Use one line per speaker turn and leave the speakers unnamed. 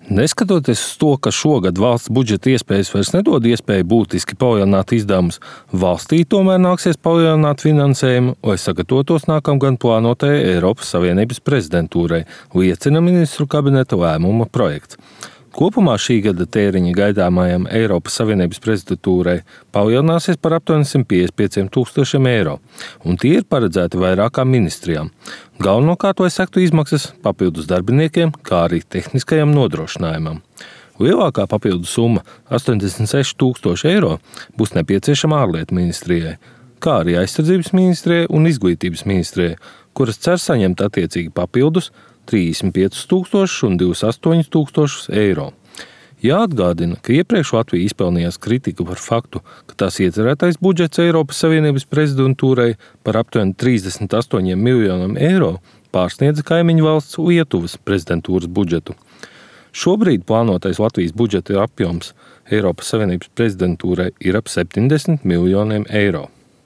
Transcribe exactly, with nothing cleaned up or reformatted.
Neskatoties uz to, ka šogad valsts budžeta iespējas vairs nedod iespēju būtiski palielināt izdevumus, valstī tomēr nāksies palielināt finansējumu, lai sagatavotos nākamgad plānotajai Eiropas Savienības prezidentūrai, liecina ministru kabineta lēmuma projekts. Kopumā šī gada tēriņi gaidāmajam Eiropas Savienības prezidentūrai palielināsies par aptuveni simt piecdesmit pieciem tūkstošiem eiro, un tie ir paredzēti vairākām ministrijām. Galvenokārt, lai sektu izmaksas papildus darbiniekiem, kā arī tehniskajam nodrošinājumam. Lielākā papildu summa – astoņdesmit seši tūkstoši eiro – būs nepieciešama ārlietu ministrijai, kā arī aizsardzības ministrijai un izglītības ministrijai, kuras cer saņemt attiecīgi papildus trīsdesmit piecus tūkstošus un divdesmit astoņus tūkstošus eiro. Jāatgādina, ka iepriekš Latvija izpelnījās kritiku par faktu, ka tās iecerētais budžets Eiropas Savienības prezidentūrai par aptuveni trīsdesmit astoņiem miljoniem eiro pārsniedza kaimiņu valsts Lietuvas prezidentūras budžetu. Šobrīd plānotais Latvijas budžeta apjoms Eiropas Savienības prezidentūrai ir ap septiņdesmit miljoniem eiro.